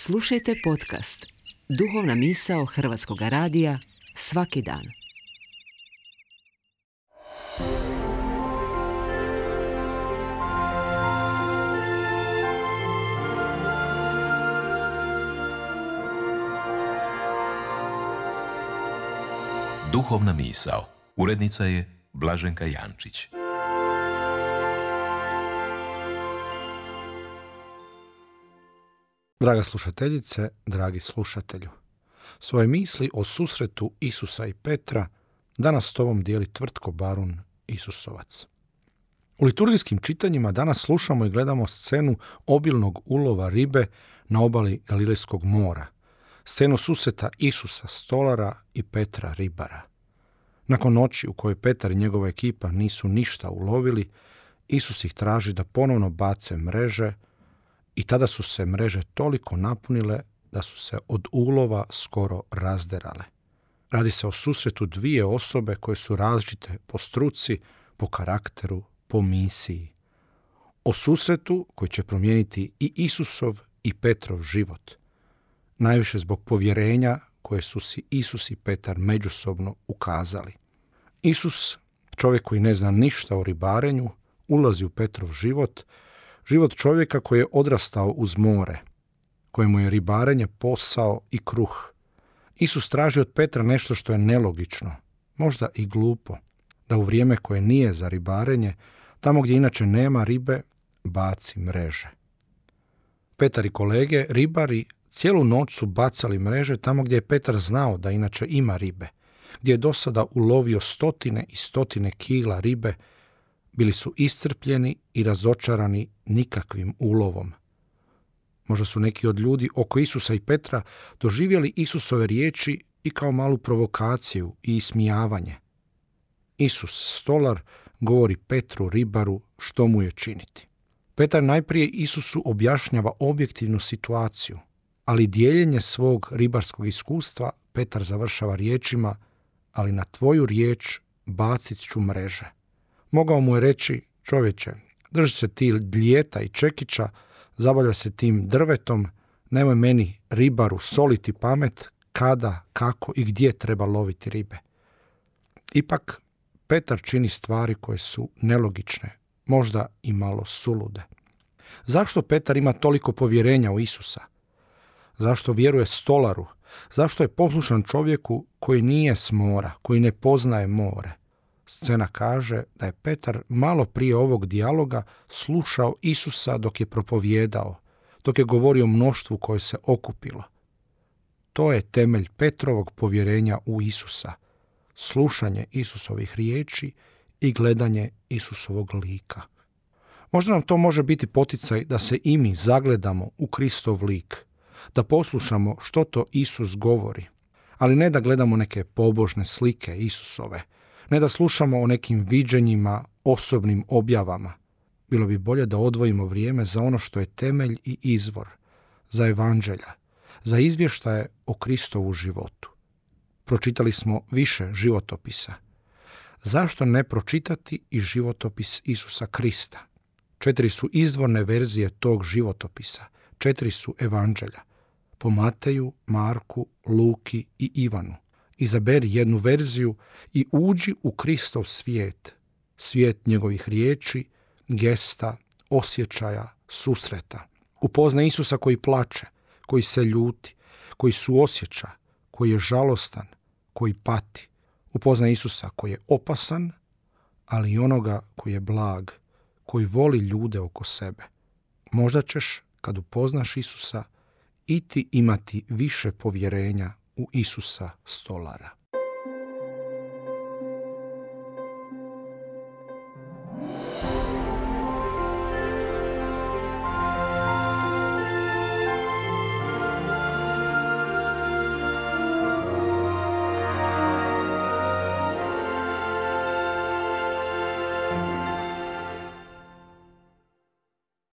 Slušajte podcast Duhovna misao Hrvatskog radija svaki dan. Duhovna misao. Urednica je Blaženka Jančić. Draga slušateljice, dragi slušatelju, svoje misli o susretu Isusa i Petra danas s tobom dijeli Tvrtko Barun Isusovac. U liturgijskim čitanjima danas slušamo i gledamo scenu obilnog ulova ribe na obali Galilejskog mora, scenu susreta Isusa stolara i Petra ribara. Nakon noći u kojoj Petar i njegova ekipa nisu ništa ulovili, Isus ih traži da ponovno bace mreže i tada su se mreže toliko napunile da su se od ulova skoro razderale. Radi se o susretu dvije osobe koje su različite po struci, po karakteru, po misiji. O susretu koji će promijeniti i Isusov i Petrov život. Najviše zbog povjerenja koje su si Isus i Petar međusobno ukazali. Isus, čovjek koji ne zna ništa o ribarenju, ulazi u Petrov život, život čovjeka koji je odrastao uz more, kojemu je ribarenje posao i kruh. Isus traži od Petra nešto što je nelogično, možda i glupo, da u vrijeme koje nije za ribarenje, tamo gdje inače nema ribe, baci mreže. Petar i kolege, ribari, cijelu noć su bacali mreže tamo gdje je Petar znao da inače ima ribe, gdje je do sada ulovio stotine i stotine kila ribe. Bili su iscrpljeni i razočarani nikakvim ulovom. Možda su neki od ljudi oko Isusa i Petra doživjeli Isusove riječi i kao malu provokaciju i ismijavanje. Isus, stolar, govori Petru, ribaru, što mu je činiti. Petar najprije Isusu objašnjava objektivnu situaciju, ali dijeljenje svog ribarskog iskustva Petar završava riječima: ali na tvoju riječ bacit ću mreže. Mogao mu je reći: čovječe, drži se ti dlijeta i čekića, zabavlja se tim drvetom, nemoj meni, ribaru, soliti pamet kada, kako i gdje treba loviti ribe. Ipak, Petar čini stvari koje su nelogične, možda i malo sulude. Zašto Petar ima toliko povjerenja u Isusa? Zašto vjeruje stolaru? Zašto je poslušan čovjeku koji nije s mora, koji ne poznaje more? Scena kaže da je Petar malo prije ovog dijaloga slušao Isusa dok je propovijedao, dok je govorio o mnoštvu koje se okupilo. To je temelj Petrovog povjerenja u Isusa, slušanje Isusovih riječi i gledanje Isusovog lika. Možda nam to može biti poticaj da se i mi zagledamo u Kristov lik, da poslušamo što to Isus govori, ali ne da gledamo neke pobožne slike Isusove, ne da slušamo o nekim viđenjima, osobnim objavama. Bilo bi bolje da odvojimo vrijeme za ono što je temelj i izvor, za evanđelja, za izvještaje o Kristovu životu. Pročitali smo više životopisa. Zašto ne pročitati i životopis Isusa Krista? 4 su izvorne verzije tog životopisa, 4 su evanđelja, po Mateju, Marku, Luki i Ivanu. Izaberi jednu verziju i uđi u Kristov svijet, svijet njegovih riječi, gesta, osjećaja, susreta. Upoznaj Isusa koji plače, koji se ljuti, koji suosjeća, koji je žalostan, koji pati. Upoznaj Isusa koji je opasan, ali i onoga koji je blag, koji voli ljude oko sebe. Možda ćeš, kad upoznaš Isusa, i ti imati više povjerenja u Isusa stolara.